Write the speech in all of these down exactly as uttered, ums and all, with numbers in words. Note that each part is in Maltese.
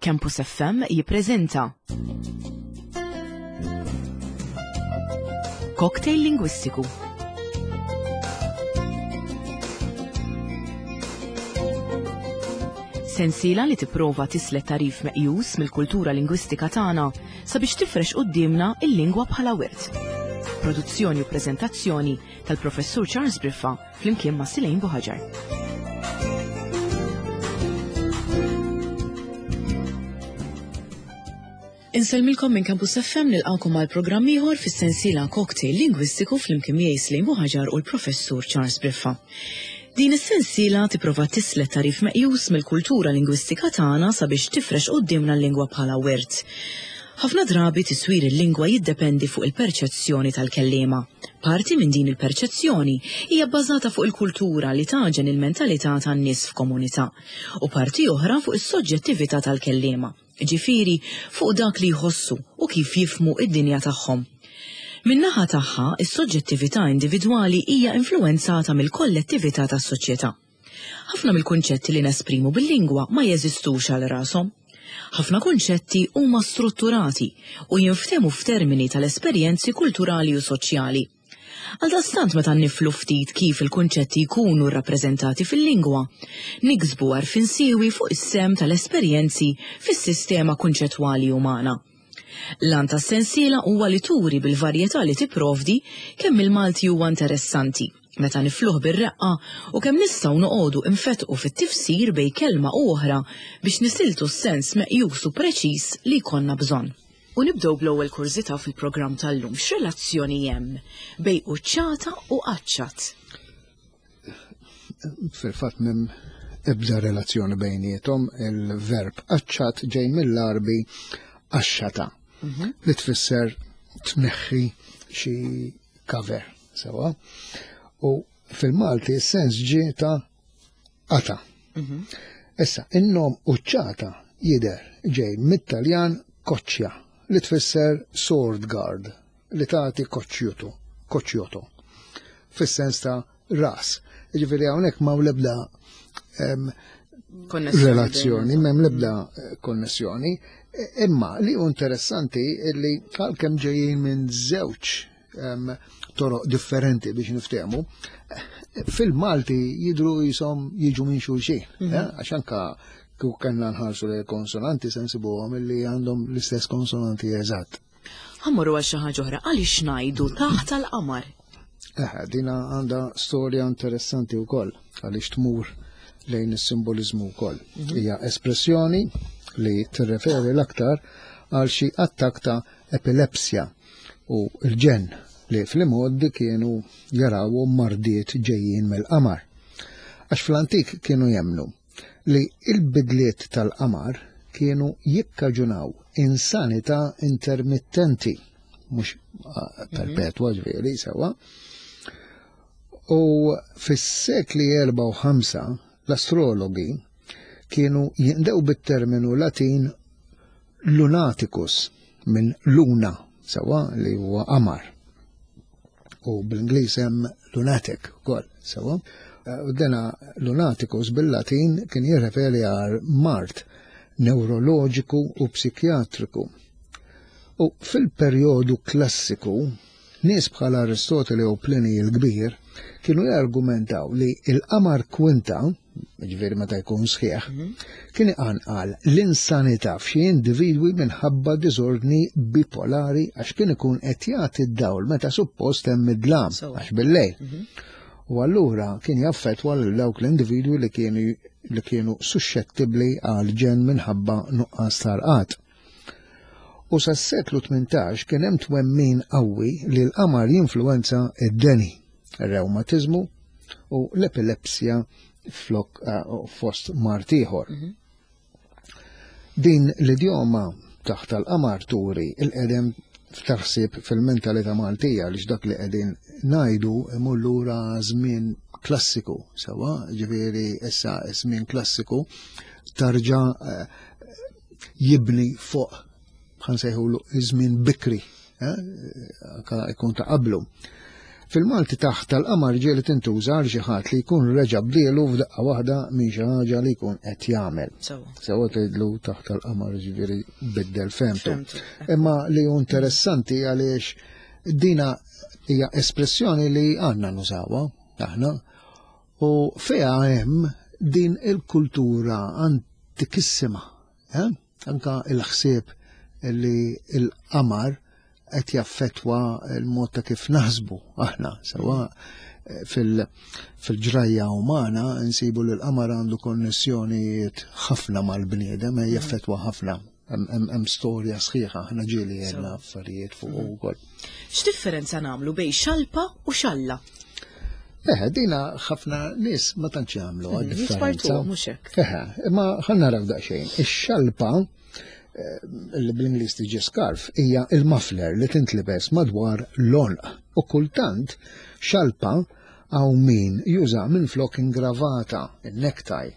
Campus F M jippreżenta Cocktail Lingwistiku. Sensiela li tipprova tislet tarif meqjus mill-kultura lingwistika tagħna sabiex tifrex quddiemna il-lingwa bħala wirt. Produzzjoni u preżentazzjoni tal-Professur Charles Briffa flimkien ma' Silejn Buħaġar. Insellmilkom minn Campus F M, nilqgħukom għal programm ieħor fis-sensiela Cocktail Lingwistiku flimkien miegħi Silejn Buħaġar u l-Professur Charles Briffa. Din is-sensiela tipprova tislet tarif meqjus mill-kultura lingwistika tagħna sabiex tifrex quddiemna l-lingwa bħala wirt. Ħafna drabi tiswir il-lingwa jiddependi fuq il-perċezzjoni tal-kelliema. Parti minn din il-perċezzjoni hija bbażata fuq il-kultura li taġen il-mentalità tan-nies f'komunità u parti oħra fuq is-soġġettività tal-kelliema, ġifieri fuq dak li jħossu u kif jifhmu id-dinja tagħhom. Min-naħa tagħha, is-soġġettività individwali hija influwenzata mill-kollettività tas-soċjetà. Ħafna mill-kunċetti li nesprimu bil-lingwa ma jeżistux għal rashom. Ħafna kunċetti huma strutturati u jinftehmu f'termini tal-esperjenzi kulturali u soċjali. Għaldaqstant meta niflu ftit kif il-kunċetti jkunu rrappreżentati fil-lingwa, niksbu għarfien siewi fuq is-sem tal-esperjenzi fis-sistema kunċettwali umana. L-għan tas-sensiela huwa li turi bil-varjetà li tipprovdi kemm il-Malti huwa interessanti meta nifluh bir-reqqa u kemm nistgħu noqogħdu infetqu fit-tifsir bejn kelma u oħra biex nisiltu s-sens meqjus u preċiż li jkollna bżonn. U nibdew bl-ewwel kurżità fil-programm tal-lum. X'relazzjoni hemm bejn quċċata u qaċċat? Fil-fatt m'hemm ebda relazzjoni bejniethom. Il-verb qaċċat ġej mill-Għarbi qaxxata, Mhm. li tfisser tneħħi xi cover, sewa. U fil-Malti s-sens ġie ta' qata. Mhm. Issa, in-nom quċċata jidher ġej mit-Taljan koċċja, li tfisser sword guard, li tagħti koċċjutu, koċċjoto, fis-sens ta' ras. Jiġifieri hawnhekk m'hawn l-ebda, em, Konnessjoni relazzjoni, bejn m'hemm l-ebda, eh, konnessjoni. E, imma li hu interessanti li għalkemm ġejjin minn żewġ, em, toroq differenti biex niftehmu, fil-Malti jidru jisom jiġu minn xulxin, Mhm. eh, għax anka kieku kellna nħarsu lejn konsonanti se nsibuhom illi għandhom l-istess konsonanti eżatt. Ħammorru għal xi ħaġa oħra, għaliex ngħidu taħt tal-qamar? Eh, dina għandha storja interessanti wkoll għaliex tmur lejn is-simboliżmu wkoll. Mhm. Hija espressjoni li tirreferi l-aktar għal xi attakk ta' epilepsja u l-ġenn li fl-imgħoddi kienu jarawhom mardiet ġejjin mill-qamar. Għax fl-antik kienu jemmnu li il-bidliet tal-qamar kienu jikkaġunaw insanità intermittenti, mhux, ah, perpetwa ġifieri sewwa. U fis-sekli erba' u ħamsa l-astrologi kienu jindew bit-terminu Latin lunaticus minn luna, sewwa li huwa qamar. U bl-Ingliż hemm lunatic ukoll, sewwa. U dena lunaticus bil-Latin kien jirreferi għal mard neuroloġiku u psikjatriku. U fil-perjodu klassiku, nies bħal Aristotele u Pliny il-Kbir kienu jargumentaw li il-qamar kwinta, ġifieri meta jkun sħiħ, Mhm. kien iqanqal l-insanità f'xi individwi minħabba diżordni bipolari għax kien ikun qed jagħti d-dawl meta suppost hemm id-dlam, Sewwa. għax bil-lejl. Mhm. U allura kien jaffettwa lil dawk l-individwi li kienu, li kienu suscettibbli għal ġenn minħabba nuqqas tal-qat. U sas-seklu tmintax kien hemm twemmin qawwi li l-qamar jinfluwenza id-deni, ir-rewmatiżmu u l-epilepsja flok, eh, fost mard ieħor. Mhm. Din l-idjoma taħt tal-qamar turi il-qedem f'taħsib fil-mentalità Maltija għaliex dak li qegħdin ngħidu imur lura żmien klassiku, sewwa, ġifieri issa żmien klassiku tarġa', eh, jibni fuq ħansejħulu żmien bikri, eh, anka jkun ta' qablu. Fil-Malti taħt tal-qamar ġieli tintuża għal xi ħadd li jkun reġa' bdielu f'daqqa waħda minn xi ħaġa li jkun qed jagħmel. Sewwa tgħidlu taħt tal-qamar ġifieri biddel femtu. Imma li hu interessanti għaliex dina hija espressjoni li għandna nużawha aħna u fiha hemm din il-kultura antikissima, eh? Anka il-ħsieb li il-qamar qed jaffettwa l-mod ta' kif naħsbu aħna sewwa fil-ġrajja umana nsibu li l-qamar għandu konnessjonijiet ħafna mal-bniedem, jaffettwa ħafna. Hemm storja sħiħa, aħna ġieli għedna affarijiet fuq ukoll. X'differenza nagħmlu bejn xalpa u xalla? Eh, dina ħafna nies ma tantx jagħmlu differenza. Mhux hekk. Eh, imma ħa naraw daqsxejn. Ix-xalpa li bl-Ingliż tiġi scarf hija il-muffler li tintlibes madwar l-għonq u kultant xalpa hawn min juża minn flok ingravata, il-necktie.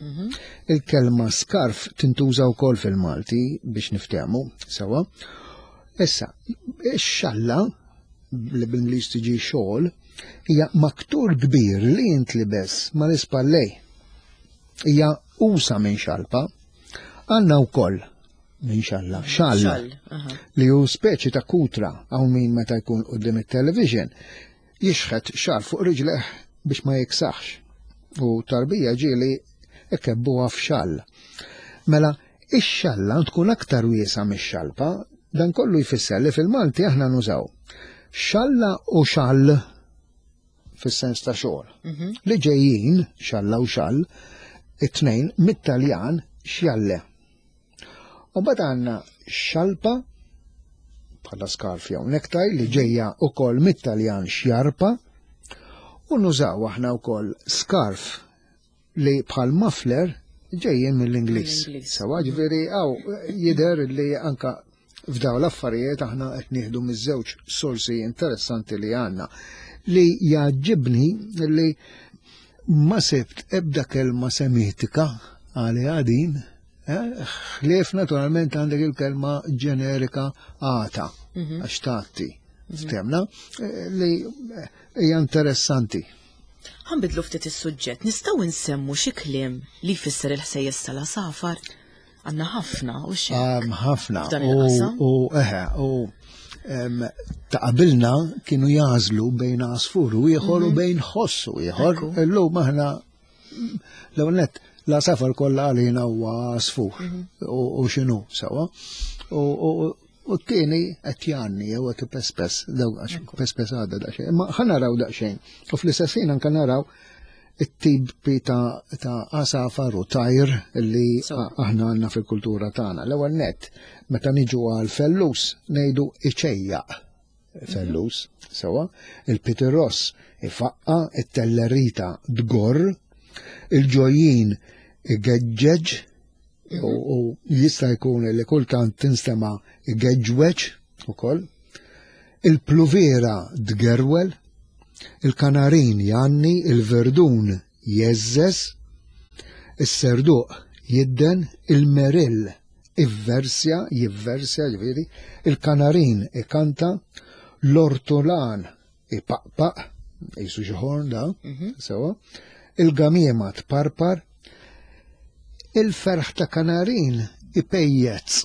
Il-kelma scarf tintuża wkoll fil-Malti biex niftehmu sewwa. Issa, ix-xalla li bl-Ingliż tiġi shawl hija maktur kbir li jintlibes mal-ispallej. Hija usa minn xalpa. Għandna wkoll minn xalla, xalla, li hu speċi ta' kutra hawn min meta jkun quddiem it-television jixħet xal fuq riġleh biex ma jiksaħx. U tarbija ġieli ikebbuha f'xall. Mela, ix-xalla tkun aktar wiesa mix-xalpa, dan kollu jfisser li fil-Malti aħna nużaw xalla u xall fis-sens ta' xogħol. Li ġejjin, xalla u xall, it-tnejn mit-Taljan xjalle. U mbagħad għandna xalpa bħala scarf jew necktie li ġejja wkoll mit-Taljan xjarpa u nużaw aħna wkoll scarf li bħal muffler ġejjin mill-Ingliż. Sewwa ġifieri hawn jidher li anka f'daw l-affarijiet aħna qed nieħdu miż-żewġ sorsi interessanti li għandna. Li jgħaġġibni li ma sibt ebda kelma semitika għaliha din, ħlief naturalment għandek il-kelma ġenerika għata, għax tgħatti, ftemna, li hija interessanti. Ħa nbiddlu ftit is-suġġett, nistgħu nsemmu xi kliem li jfisser il-ħsejjes tal-għasafar? Għandna ħafna u xejn. Ħafna. U eħe, u ta' qabilna kienu jażlu bejn għasfur u ieħor u bejn ħoss u ieħor. Illum aħna l-ewwel nett l-għasafar kollha għalina huwa għasfur u x'inhu sewwa. U t-tieni qed jgħanni jew qed ipespes, għax pespes għadha daqsxejn. Imma ħa naraw daqsxejn. U fl-istess ħin anke naraw it-tipi ta' għasafar u tajr li aħna għandna fil-kultura tagħna. L-ewwel nett, meta niġu għal fellus ngħidu iċejjaq fellus, sewwa, il-pitirross ifaqqa, it-tellerita dgorr, il-ġojjin igeġġeġ, u jista' jkun li kultant tinstema' igeġweġ ukoll, il-pluvera dgerwel, il-kanarin janni, il-verdun jeżżeż, is-serduq jidden, il-merill ivversja, jivversja ġifieri, il-kanarin ikanta, l-ortolan ipaqpaq, jisu xi ħorn da, sewwa, il-gamiema tparpar, il-ferħ ta' kanarin ipejjez.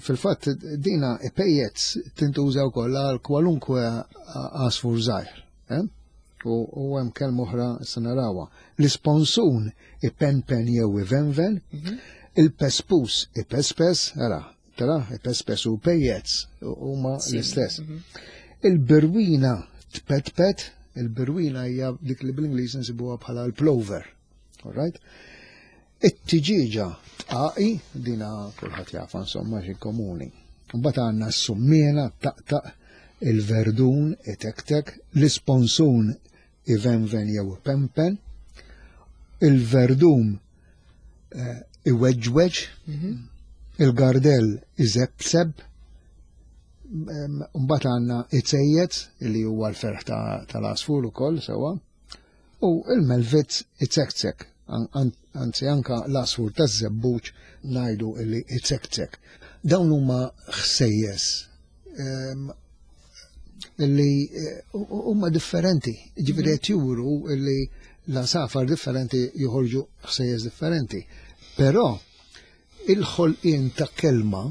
Fil-fatt dina ipejjez tintuża wkoll għal kwalunkwe għasfur żgħir. U hemm kelma oħra se narawha. L-isponsun ipenpen jew ivenven, il-pespus ipespes, ara, tara, ipespes u pejjez huma l-istess. Il-birwina tpetpet, il-birwina hija dik li bl-Ingliż nsibuha bħala l-plover. All right? It-tiġiġa tqaqi, dina kulħadd jafa insomma xi komuni. Mbagħad għandna s-summiena taqtaq, il-verdun itektek, l-isponsun ivenven jew pempen, il-verdum iweġweġ, il-gardell iżebseb, mbagħad għandna iċejjez li huwa l-ferħ tal-għasfur ukoll sewwa, u il-melvitz iċekcek. Anzi anka l-għasfur taż-żebbuġ ngħidu li iċekcek. Dawn huma ħsejjes Li eh, huma differenti, ġifieri qed juru li l-għasafar differenti joħorġu ħsejjes differenti. Però il-ħolqien ta' kelma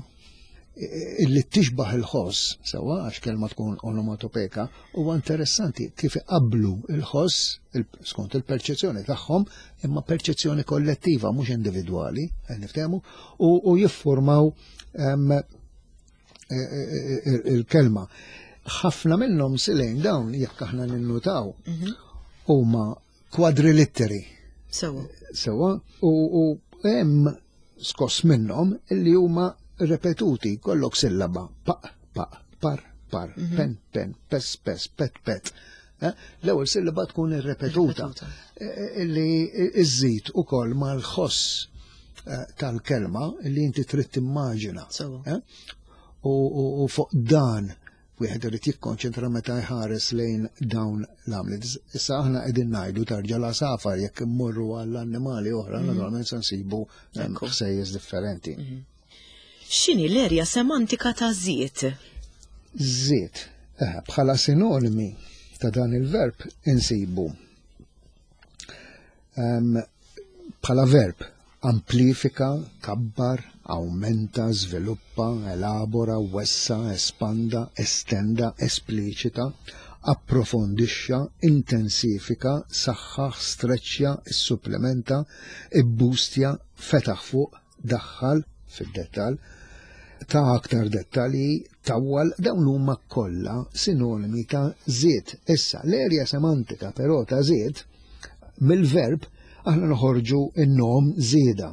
eh, illi tixbaħ il-ħoss, sewa għax kelma tkun onomatopeka, huwa interessanti kif iqablu il-ħoss il skont il-perċezzjoni tagħhom, imma perċezzjoni kollettiva mhux individwali, qed niftehmu, u, u jiffurmaw em, eh, eh, eh, il-kelma. Ħafna minnhom silejn dawn jekk aħna ninnutaw huma kwadrilitteri Sewa. sewa u, u hemm skoss minnhom illi huma repetuti kollok sillaba pa pa par par pen pen pes pes pet pet. Eh? L-ewwel sillaba tkun irrepetuta Irrepetuta. Eh, illi iżżid ukoll mal-ħoss eh, tal-kelma illi inti trid timmaġina. Sewa. Eh? U, u, u fuq dan wieħed irid jikkonċentra meta jħares lejn dawn l-għamliet. Issa aħna qegħdin ngħidu tarġa' l-għasafar jekk immorru għall-annimali oħra, naturalment se nsibu em, Ekku. ħsejjes differenti. X'inhi l-erja semantika ta' żied? Żied, eh, bħala sinonimi ta' dan il-verb insibu em, bħala verb amplifika, kabbar, aumenta, sviluppa, elabora, wessa, espanda, estenda, espliċita, approfondixxa, intensifika, saħħaħ, streċja, supplementa, ibbustja, fetaħ fuq, daħħal fid-dettal, ta' aktar dettalji, tawwal, dawn huma kollha sinonimi ta' żied. Issa, l-erja semantika però ta' żied mill-verb aħna noħorġu in-nom żieda.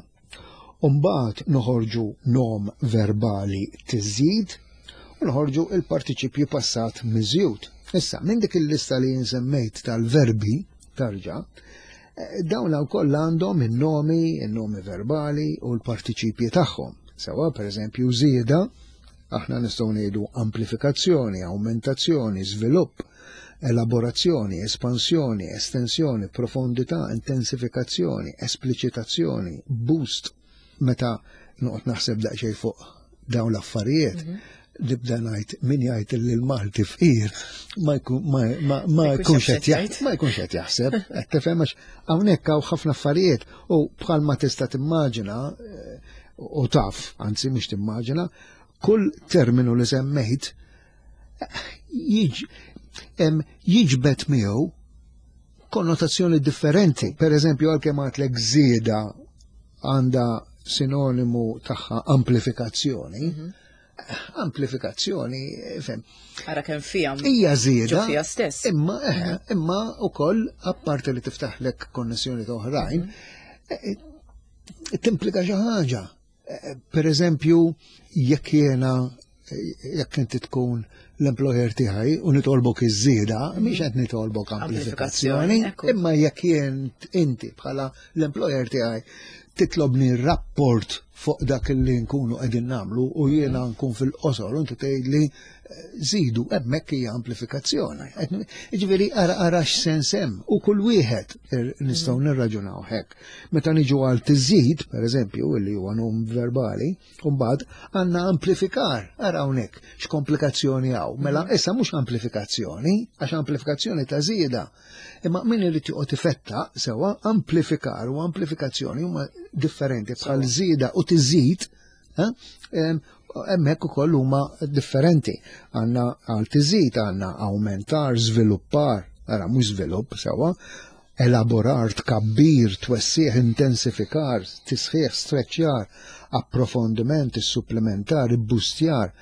Umbagħad noħorġu nom verbali tiżjid u noħorġu il-partiċipju passat miżjud. Issa, minn dik il-lista li nsemmejt tal-verbi tarġa, eh, dawn wkoll għandhom in-nomi, in-nomi verbali u l-partiċipji tagħhom. Sewa, per eżempju, żieda, aħna nistgħu ngħidu amplifikazzjoni, aumentazzjoni, żvilupp, elaborazzjoni, espansjoni, estensjoni, profondità, intensifikazzjoni, espliċitazzjoni, boost. Meta noqgħod naħseb daqsxejn fuq dawn l-affarijiet, nibda ngħid min jgħid li l-Malti fqir ma jkun ma, ma, ma jkunx qed jgħid ma jkunx qed jaħseb, qed tifhem għax hawnhekk hawn ħafna affarijiet u bħalma tista' timmaġina eh, u taf, anzi mhux timmaġina, kull terminu li semmejt eh, jiġ- em, jiġbet miegħu konnotazzjoni differenti. Per eżempju, għalkemm għedtlek żieda għandha sinonimu tagħha amplifikazzjoni, amplifikazzjoni, fem, Ara kemm fija hija żieda. ġo fija stess. Imma, eh, imma ukoll apparti li tiftaħlek konnessjoni ta' oħrajn, eh, timplika xi ħaġa. Eh, Per eżempju, jekk jiena eh, jekk inti tkun l-employer tiegħi u nitolbok iż-żieda, mhix qed nitolbok amplifikazzjoni, Amplifikazzjoni, ekku. imma jekk jien inti bħala l-employer tiegħi titlobni rapport fuq dak li nkunu qegħdin nagħmlu u jiena nkun fil-qosor u inti tgħidli eh, żidu hemmhekk hija amplifikazzjoni. Qed- Jiġifieri ara ara x'sens hemm u kull wieħed ir- nistgħu nirraġunaw hekk. Meta niġu għal tiżid, per eżempju, illi huwa nom verbali, u mbagħad għandna amplifikar, ara hawnhekk x'komplikazzjoni hawn. Mela issa mhux amplifikazzjoni, għax amplifikazzjoni ta' żieda. Imma min irid joqgħod ifetta sewa amplifikar u amplifikazzjoni huma differenti bħal żieda u tiżid, eh, em, hemmhekk ukoll huma differenti. Għandna għal tiżid, għandna aumentar, żviluppar, ara mhux żvilupp sewa, elaborar, tkabbir, twessieħ, intensifikar, tisħiħ, streċjar, approfondiment, supplementar, ibbustjar,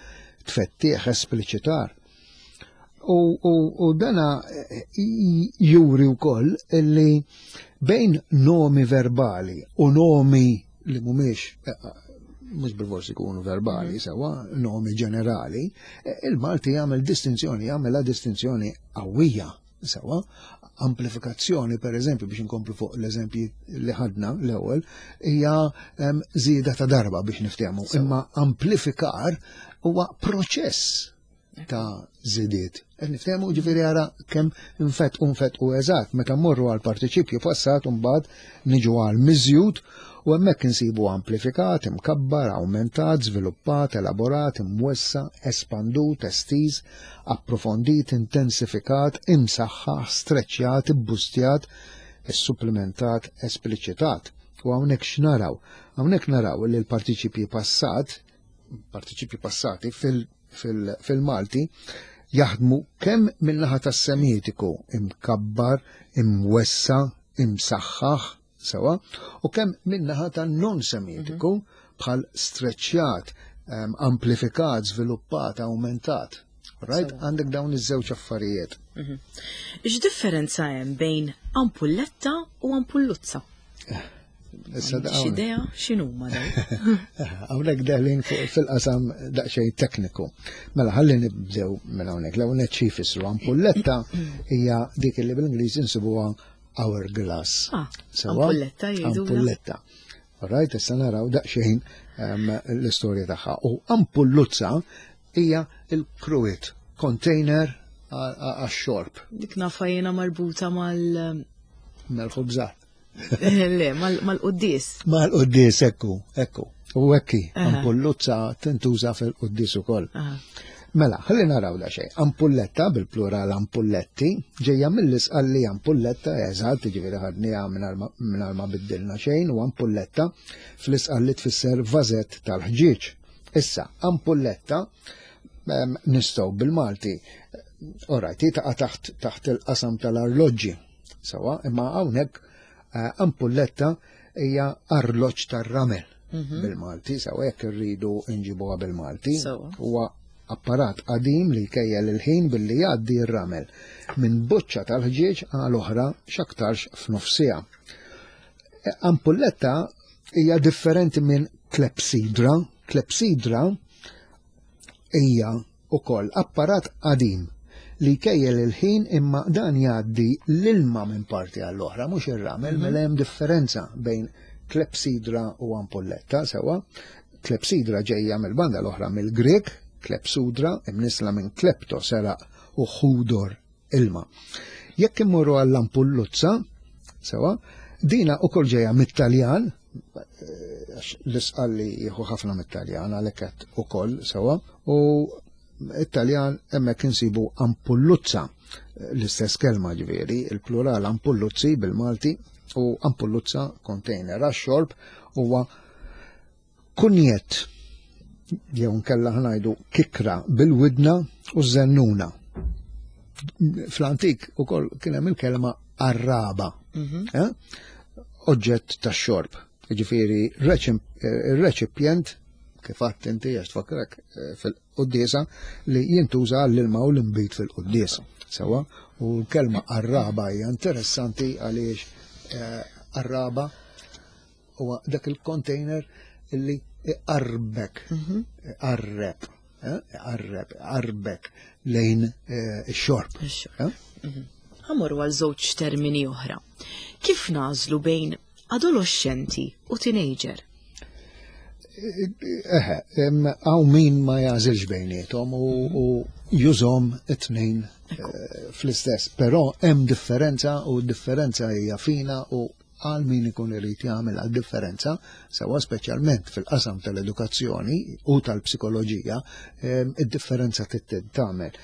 tfettieħ, espliċitar. U, u, u dana eh, juri wkoll illi bejn nomi verbali u nomi li mhumiex eh, mhux bil-forsi ikunu verbali sewa, nomi ġenerali, eh, il-Malti jagħmel distinzjoni, jagħmel distinzjoni qawwija sewa, amplifikazzjoni per eżempju biex inkomplu fuq l-eżempji li ħadna l-ewwel hija em, żieda ta' darba biex niftehmu, imma amplifikar huwa proċess ta' żidiet. Qed niftehmu ġifieri ara kemm infett u nfett u eżatt meta mmorru għal partiċipju passat u mbagħad niġu għal miżjud U hemmhekk insibu amplifikat, imkabbar, awmentat, żviluppat, elaborat, imwessa, espandut, estiż, approfondit, intensifikat, imsaħħaħ, streċjat, ibbustjat, issupplementat, espliċitat. U hawnhekk x'naraw? Hawnhekk naraw li l-partiċipji passat, partiċipji passati fil-Malti jaħdmu kemm min-naħa tas-semitiku imkabbar, imwessa, imsaħħaħ, sewa, u kemm min-naħa tan-non-semitiku bħal streċjat, amplifikat, żviluppat, awmentat. Right? Għandek dawn iż-żewġ affarijiet. X'differenza hemm bejn ampulletta u ampulluzza? Issa da X'idea x'inhuma dawn? Hawnhekk deħlin fil-qasam daqsxejn tekniku. Mela ħalli nibdew minn hawnhekk. L-ewwel nett xi jfissru ampulletta hija dik li bil-Ingliż insibuha hourglass. Ah, Sewa? ampulletta jgħidulha. Ampulletta. Alright, issa naraw daqsxejn ehm, l-istorja tagħha. U ampulluzza hija il-cruet container għax-xorb Dik nafa jiena marbuta mal mal-ħobżat. Le, mal-quddies. Mal-quddies, ekku, ekku. U ekki, Aha. ampulluzza tintuża fil-quddies ukoll. Aha. Mela, ħalli naraw da xejn. Ampulletta, bil-plural ampulletti, ġejja mill-isqalli ampulletta, eżatt, ġifieri ħadniha mingħajr ma biddilna xejn, u ampulletta fl-isqalli tfisser vażett tal-ħġieġ. Issa, ampulletta em, nistgħu bil-Malti, orajt, taqa' taħt taħt il-qasam tal-arloġġi. Sewa, imma hawnhekk eh, ampulletta hija arloġġ tar-ramel bil-Malti, sewa jekk irridu nġibuha bil-Malti. Sewa. Huwa apparat qadim li jkejjel il-ħin billi jgħaddi r-ramel minn boċċa tal-ħġieġ għal oħra x'aktarx f'nofsija. Ampulletta hija differenti minn klepsidra. Klepsidra hija ukoll apparat qadim li jkejjel il-ħin imma dan jgħaddi l-ilma minn parti għall-oħra, mhux ir-ramel, mela hemm differenza bejn klepsidra u ampulletta, sewa. Klepsidra ġejja mill-banda l-oħra mill-Grek, klepsudra, imnisla minn klepto seraq u ħudor ilma. Jekk immorru għall-ampulluzza, sewa, dina ukoll ġejja mit-Taljan, eh, għax l-isqalli jieħu ħafna mit-Taljan għalhekk qed ukoll sewa, u it-Taljan hemmhekk insibu ampulluzza, l-istess kelma ġifieri, il-plural ampulluzzi bil-Malti u ampulluzza container għax-xorb huwa kunjet jew nkella ħa ngħidu kikra bil-widna u żennuna. Fl-antik ukoll kien hemm il-kelma arraba, eh? Oġġett tax-xorb. Ġifieri ir-reċipjent kif għedt inti għax tfakkrek eh, fil-quddiesa li jintuża għall-ilma u l-imbit fil-quddiesa. Sewa, u l-kelma arraba hija interessanti għaliex eh, arraba huwa dak il-container illi iqarbek, iqarreb, eh, iqarreb, iqarbek lejn eh, ix-xorb. Ix-xorb. eh? Ħa mmorru għal żewġ termini oħra. Kif nagħżlu bejn adolescenti u teenager? Eħe, hawn min ma jagħżilx bejniethom u, u jużahom it-tnejn eh, fl-istess, però hemm differenza u differenza hija fina u għal min ikun irid jagħmel għal differenza, sewa speċjalment fil-qasam tal-edukazzjoni u tal-psikoloġija, em, id-differenza trid tagħmel.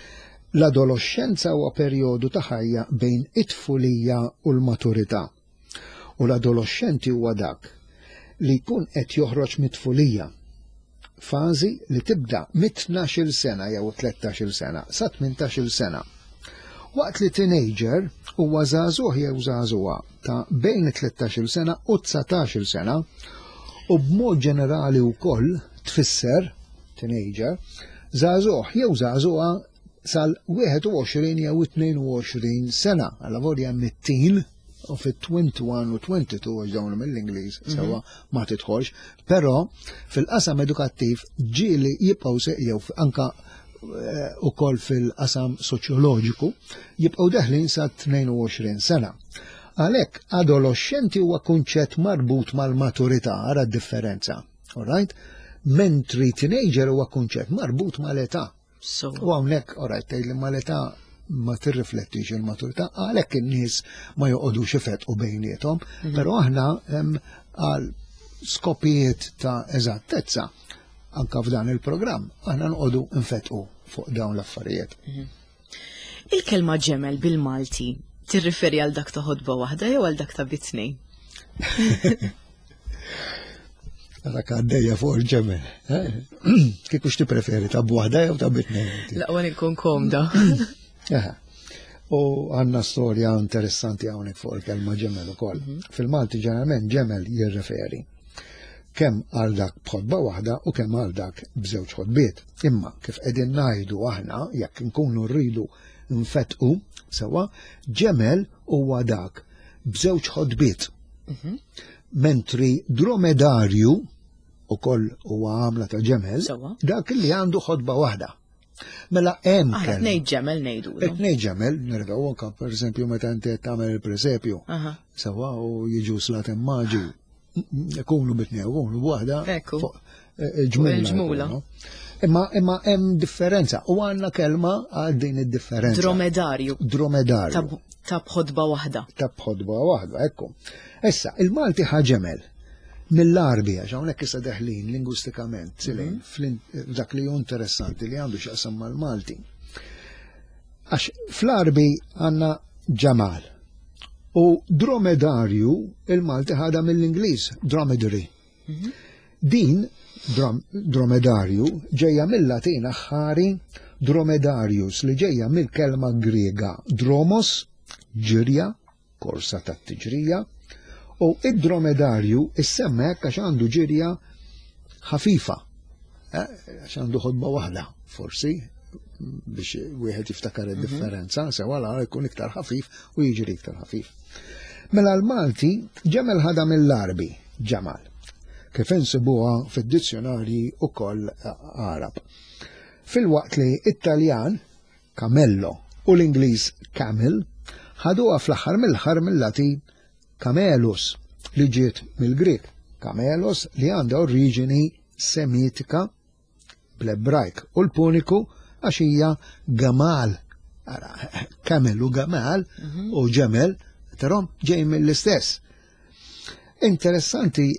L-adolescenza huwa perjodu ta' ħajja bejn it-tfulija u l-maturità. U l-adolescenti huwa dak li jkun qed joħroġ mit-tfulija. Fażi li tibda mit-tnax-il sena jew tlettax-il sena sa tmintax-il sena. Waqt li teenager huwa żagħżugħ jew żagħżugħa ta' bejn tlettax-il sena u dsatax-il sena u b'mod ġenerali wkoll tfisser teenager żagħżugħ jew żagħżugħa sal-wieħed u għoxrin jew tnejn u għoxrin sena. Alla volja mit-teen u fit-twenty-one u twenty-two għax dawn mill-Ingliż sewa ma tidħolx, però fil-qasam edukattiv ġieli jibqgħu se jew anka eh, ukoll fil-qasam soċjoloġiku jibqgħu deħlin sa tnejn u għoxrin sena. Għalhekk adolescenti huwa kunċett marbut mal-maturità, ara d-differenza. All right? Mentri teenager huwa kunċett marbut mal-età. So. U hawnhekk, all right, tgħid li mal-età ma tirriflettix il-maturità, għalhekk in-nies ma joqogħdux ifetqu bejniethom, Mhm. però aħna hemm għal skopijiet ta' eżattezza, anka f'dan il-programm, aħna nqogħdu nfetqu fuq dawn l-affarijiet. Mhm. Il-kelma ġemel bil-Malti tirriferi għal dak ta' ħodba waħda jew għal dak ta' bitnej? Dak għaddejja fuq il-ġemel. Eh? Kieku x'ti preferi ta' b'waħda jew ta' bitnej? Laqwa nkun komda. U għanna storja interessanti hawnhekk fuq il-kelma ġemel ukoll. Mhm. Fil-Malti ġeneralment ġemel jirreferi kemm għal dak b'ħodba waħda u kemm għal dak b'żewġ ħodbiet. Imma kif qegħdin ngħidu aħna jekk nkunu rridu nfetqu sewwa, ġemel huwa dak b'żewġ ħodbiet. Mhm. Mentri dromedarju ukoll huwa għamla ta' ġemel, dak li għandu ħodba waħda. Mela hemm Aħna tnejn ġemel ngħidu. Tnejn ġemel, nerġgħu anke pereżempju meta inti qed tagħmel il-presepju. Sewwa u jiġu slat immaġi ikunu bitnew, ikunu b'waħda. Ekku. Eh, il-ġmula. Imma imma hemm differenza u għandna kelma għal din id-differenza. Dromedarju. Dromedarju. Ta' b'ħodba waħda. Ta' b'ħodba waħda, ekku. Issa, il-Malti ħaġemel mill-Arbi, għax hawnhekk issa deħlin lingwistikament, silejn, mhm. dak li hu interessanti li għandu x'jaqsam mal-Malti. Għax fl-Arbi għandna ġamal. U dromedarju il-Malti ħada mill-Ingliż, dromedary. Mhm. Din dromedarju ġejja mill-Latin aħħari dromedarius li ġejja mill-kelma Griega dromos, ġirja, korsa tat-tiġrija, u id-dromedarju issemma hekk għax għandu ġirja ħafifa, eh, għax għandu ħodba waħda, forsi, biex wieħed jiftakar mhm. id-differenza, sewa la jkun iktar ħafif u jiġri iktar ħafif. Mela l-Malti ġemel ħada mill-Arbi, ġamal, kif insibuha fid-dizzjonarji ukoll Arab. Filwaqt li Italjan, camello, u l-Ingliż camel, ħaduha fl-aħħar mill-aħħar mill-Latin camelus, li ġiet mill-Grieg, camelos li għandha oriġini semitika bl-Ebrajk u l-Puniku għax hija gamal. Ara, kamel u gamal mhm. u ġemel, tarom ġej mill-istess. Interessanti,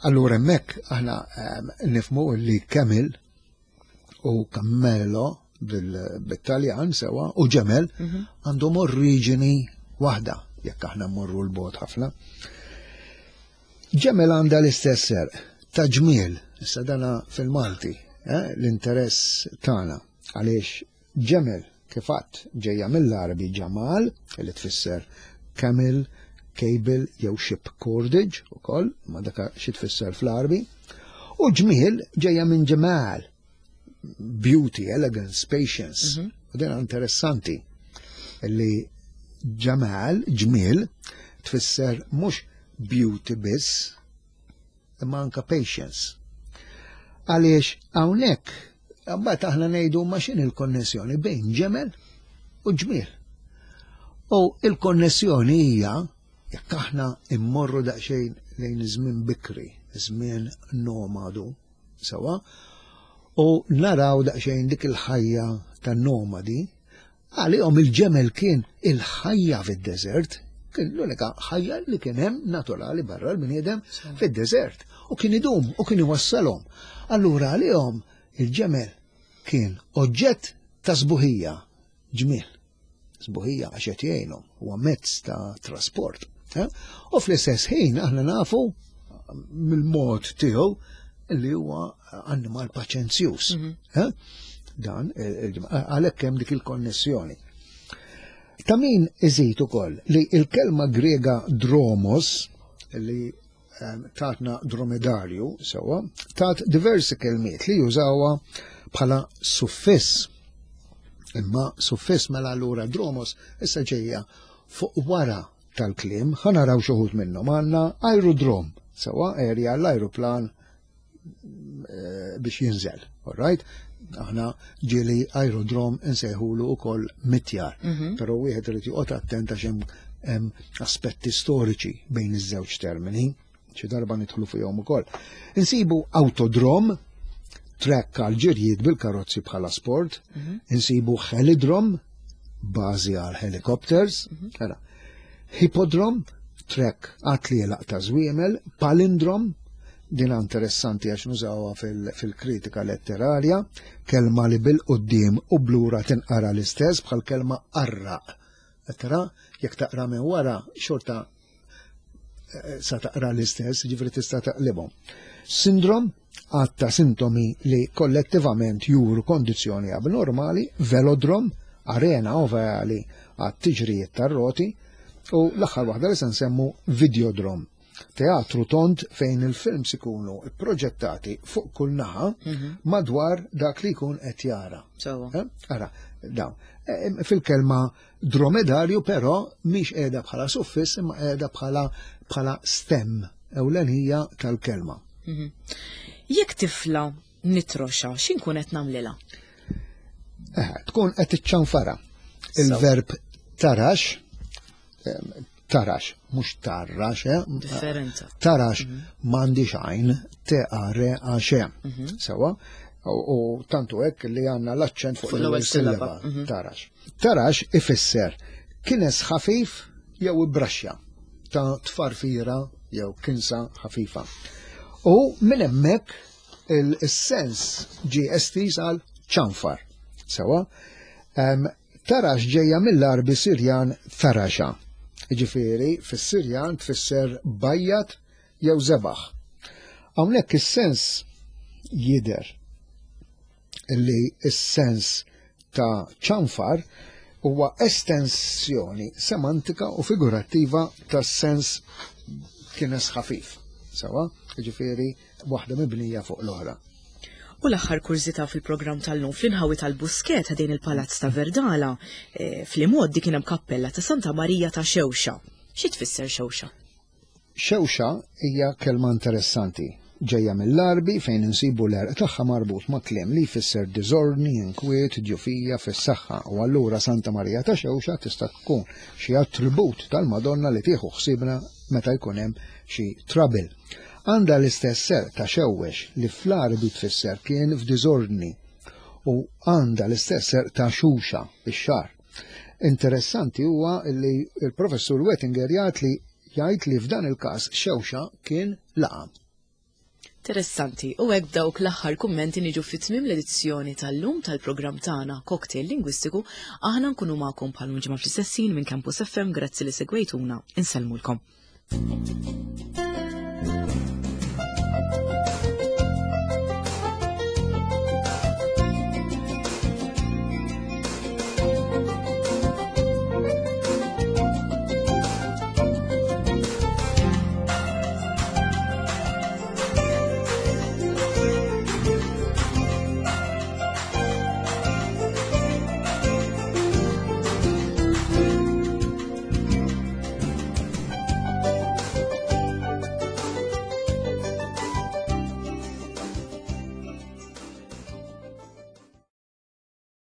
allura hemmhekk aħna ehm, nifmu li kamel u kammello bil-Taljan sewa u ġemel mhm. għandhom oriġini waħda jekk aħna mmorru l-bot ħafna. Ġemel għandha l-istess serq ta' ġmiel, issa dana fil-Malti, eh, l-interess tagħna għaliex ġemel kif għadt ġejja mill-Arabi ġamal, li tfisser camel, cable jew ship cordage ukoll, ma daka xi tfisser fl-Arabi, u ġmiel ġejja minn ġemal, beauty, elegance, patience. Mhm. U din interessanti li ġamal, ġmiel, tfisser mhux beauty biss, imma anka patience. Għaliex hawnhekk mbagħad aħna ngħidu ma x'in il-konnessjoni bejn ġemel u ġmiel. U il-konnessjoni hija jekk aħna immorru daqsxejn lejn żmien bikri, żmien nomadu, sewa, u naraw daqsxejn dik il-ħajja tan-nomadi, għalihom il-ġemel kien il-ħajja fid-deżert, kien l-unika ħajja li kien hemm naturali barra l-bniedem fid-deżert u kien idum u kien iwassalhom. Allura għalihom il-ġemel kien oġġett ta' sbuħija, ġmiel. Sbuħija għax qed jgħinhom, huwa mezz ta' trasport. Eh? U fl-istess ħin aħna nafu mill-mod tiegħu li huwa annimal paċenzjuż. Mhm. Eh? Dan, eh, għalhekk hemm dik il-konnessjoni. Ta' min iżid ukoll li il-kelma Grega dromos li ehm, tatna dromedarju sewwa, tat diversi kelmiet li jużawha bħala suffiss. Imma suffiss mela allura dromos issa ġejja fuq wara tal-kliem, ħa naraw xi wħud minnhom. Għandna aerodrom, sewwa area l-ajruplan eh, biex jinżel, all right? Aħna ġieli aerodrom insejħulu ukoll mitjar, mhm. però wieħed irid joqgħod attent għax hemm aspetti storiċi bejn iż-żewġ termini, xi darba nidħlu fihom ukoll. Insibu autodrom, track għal ġirjiet bil-karozzi bħala sport, mhm. insibu helidrom, bażi għal helicopters, mhm. ara, hippodrom, track għat-tlielaq ta' żwiemel, palindrom, Din interessanti għax nużawha fil-kritika letterarja, kelma li bil-quddiem u b'lura tinqara l-istess bħal kelma qarraq. Tara, jekk taqra minn wara xorta eh, sa taqra l-istess, ġifieri tista' taqlibhom. Sindrom, għadd ta' sintomi li kollettivament juru kondizzjoni abnormali, velodrom, arena ovali għat tiġrijiet tar-roti, u l-aħħar waħda li se nsemmu videodrom. Teatru tond fejn il-films ikunu proġettati fuq kull naħa mhm. madwar dak li jkun qed jara. Eh? Ara, dawn. Eh, fil-kelma dromedarju però mhix qiegħda bħala suffiss imma qiegħda bħala bħala stem ewlenija tal-kelma. Mhm. Jekk tifla nitroxa, x'inkun qed nagħmlilha? Eh, tkun qed iċċanfara. Il-verb tarax tarax, mhux tarrax, eh? Differenza. Tarax mhm. m'għandix għajn, T A R A X. Mhm. Sewa, u tantu hekk li għandna l-aċċent fuq l-ewwel sillaba. Mhm. Tarax. Tarax ifisser kines ħafif jew ibraxxa ta' tfarfira jew kinsa ħafifa. U minn hemmhekk il-sens ġie estiż għal ċanfar. Sewa, tarax ġejja mill-Arbi Sirjan taraxa. Ġifieri, fis-Sirjan tfisser bajjat jew zebaħ. Hawnhekk is-sens jidher li s-sens ta' ċanfar huwa estensjoni semantika u figurattiva tas-sens kienes ħafif. Sewa, ġifieri waħda mibnija fuq l-oħra. U l-aħħar kurżità fil-programm tal-lum fl-inħawi tal-Buskett ħdejn il-Palazz ta' Verdala, eh, fl-imgħoddi kien hemm kappella ta' Santa Marija ta' Xewxa. Xi tfisser Xewxa? Xewxa hija kelma interessanti. Ġejja mill-Arbi fejn insibu l-għerq tagħha marbut ma' kliem li jfisser diżordni, inkwiet, djufija fis-saħħa u allura Santa Marija ta' Xewxa tista' tkun xi attribut tal-Madonna li tieħu ħsiebna meta jkun hemm xi trouble. Għandha l-istess ser ta' xewwex li fl-Arbi tfisser kien f'diżordni u għandha l-istess ser ta' xuxa, ix-xagħar. Interessanti huwa li l-professur Wettinger jgħid li jgħid li f'dan il-każ xewxa kien laqam. Interessanti, u hekk b'dawk l-aħħar kummenti niġu fi tmiem l-edizzjoni tal-lum tal-programm tagħna Cocktail Lingwistiku, aħna nkunu magħkom bħal ġimgħa fl-istess ħin minn Campus F M, grazzi li segwejtuna, insellmulkom. Thank you.